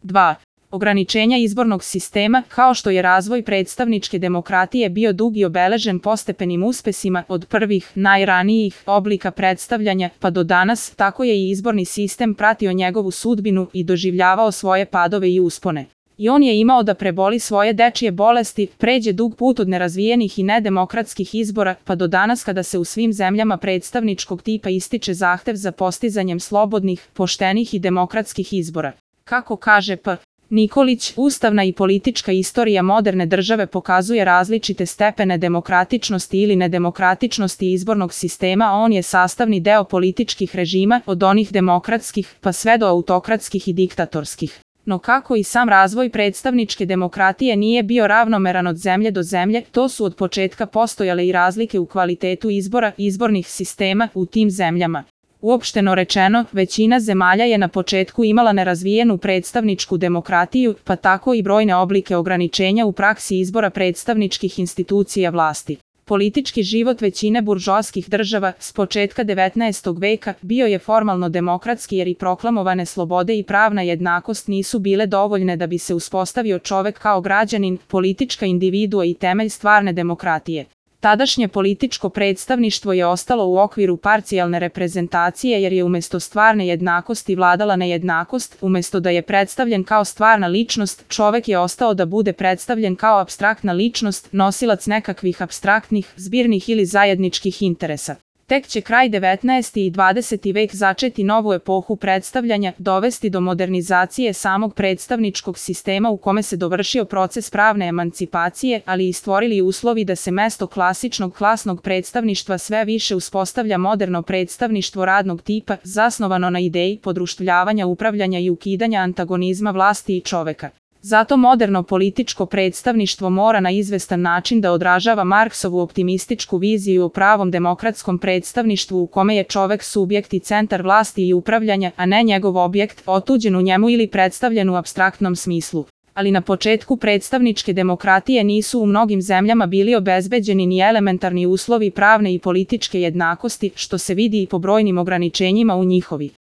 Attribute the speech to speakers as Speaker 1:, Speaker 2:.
Speaker 1: 2. Ograničenja izbornog sistema, kao što je razvoj predstavničke demokratije bio dug i obeležen postepenim uspesima od prvih, najranijih oblika predstavljanja pa do danas, tako je i izborni sistem pratio njegovu sudbinu i doživljavao svoje padove i uspone. I on je imao da preboli svoje dečije bolesti, pređe dug put od nerazvijenih i nedemokratskih izbora, pa do danas kada se u svim zemljama predstavničkog tipa ističe zahtev za postizanjem slobodnih, poštenih i demokratskih izbora. Kako kaže P. Nikolić, ustavna i politička istorija moderne države pokazuje različite stepene demokratičnosti ili nedemokratičnosti izbornog sistema, a on je sastavni deo političkih režima, od onih demokratskih pa sve do autokratskih i diktatorskih. No kako i sam razvoj predstavničke demokratije nije bio ravnomeran od zemlje do zemlje, to su od početka postojale i razlike u kvalitetu izbora, izbornih sistema u tim zemljama. Uopšteno rečeno, većina zemalja je na početku imala nerazvijenu predstavničku demokratiju, pa tako i brojne oblike ograničenja u praksi izbora predstavničkih institucija vlasti. Politički život većine buržoaskih država s početka 19. veka bio je formalno demokratski jer i proklamovane slobode i pravna jednakost nisu bile dovoljne da bi se uspostavio čovek kao građanin, politička individua i temelj stvarne demokratije. Tadašnje političko predstavništvo je ostalo u okviru parcijalne reprezentacije jer je umesto stvarne jednakosti vladala nejednakost, umesto da je predstavljen kao stvarna ličnost, čovek je ostao da bude predstavljen kao apstraktna ličnost, nosilac nekakvih apstraktnih, zbirnih ili zajedničkih interesa. Tek će kraj 19. i 20. vek začeti novu epohu predstavljanja, dovesti do modernizacije samog predstavničkog sistema u kome se dovršio proces pravne emancipacije, ali i stvorili uslovi da se mesto klasičnog klasnog predstavništva sve više uspostavlja moderno predstavništvo radnog tipa, zasnovano na ideji podruštvljavanja, upravljanja i ukidanja antagonizma vlasti i čoveka. Zato moderno političko predstavništvo mora na izvestan način da odražava Marksovu optimističku viziju o pravom demokratskom predstavništvu u kome je čovek subjekt i centar vlasti i upravljanja, a ne njegov objekt, otuđen u njemu ili predstavljen u apstraktnom smislu. Ali na početku predstavničke demokratije nisu u mnogim zemljama bili obezbeđeni ni elementarni uslovi pravne i političke jednakosti, što se vidi i po brojnim ograničenjima u njihovi